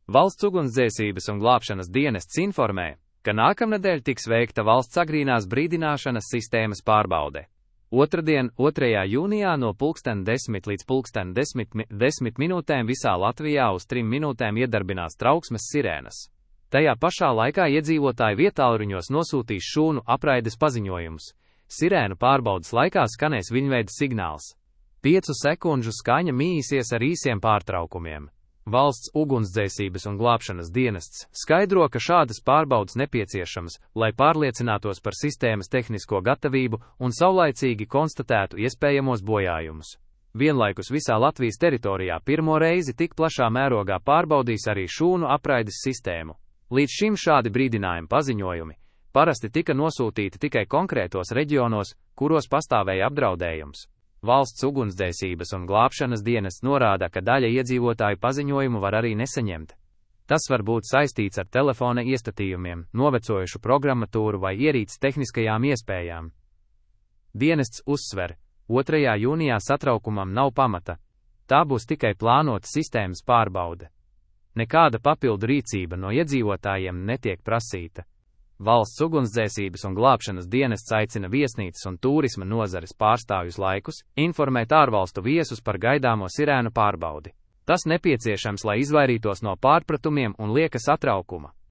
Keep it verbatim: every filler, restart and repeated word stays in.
Valsts ugunsdzēsības un glābšanas dienests informē, ka nākamnedēļ tiks veikta valsts agrīnās brīdināšanas sistēmas pārbaude. Otradien, otrajā jūnijā no pulksten desmit līdz pulksten desmit, desmit minūtēm visā Latvijā uz trim minūtēm iedarbinās trauksmes sirēnas. Tajā pašā laikā iedzīvotāji vietālruņos nosūtīs šūnu apraides paziņojumus. Sirēnu pārbaudas laikā skanēs viņveida signāls. Piecu sekundžu skaņa mīsies ar īsiem pārtraukumiem. Valsts ugunsdzēsības un glābšanas dienests skaidro, ka šādas pārbaudas nepieciešamas, lai pārliecinātos par sistēmas tehnisko gatavību un saulaicīgi konstatētu iespējamos bojājumus. Vienlaikus visā Latvijas teritorijā pirmo reizi tik plašā mērogā pārbaudīs arī šūnu apraides sistēmu. Līdz šim šādi brīdinājumi paziņojumi parasti tika nosūtīti tikai konkrētos reģionos, kuros pastāvēja apdraudējums. Valsts ugunsdzēsības un glābšanas dienests norāda, ka daļa iedzīvotāju paziņojumu var arī nesaņemt. Tas var būt saistīts ar telefona iestatījumiem, novecojušu programmatūru vai ierīces tehniskajām iespējām. Dienests uzsver, otrajā jūnijā satraukumam nav pamata. Tā būs tikai plānota sistēmas pārbaude. Nekāda papildu rīcība no iedzīvotājiem netiek prasīta. Valsts ugunsdzēsības un glābšanas dienests aicina viesnīcas un turisma nozares pārstāvjus laikus informēt ārvalstu viesus par gaidāmo sirēnu pārbaudi. Tas nepieciešams, lai izvairītos no pārpratumiem un lieka satraukuma.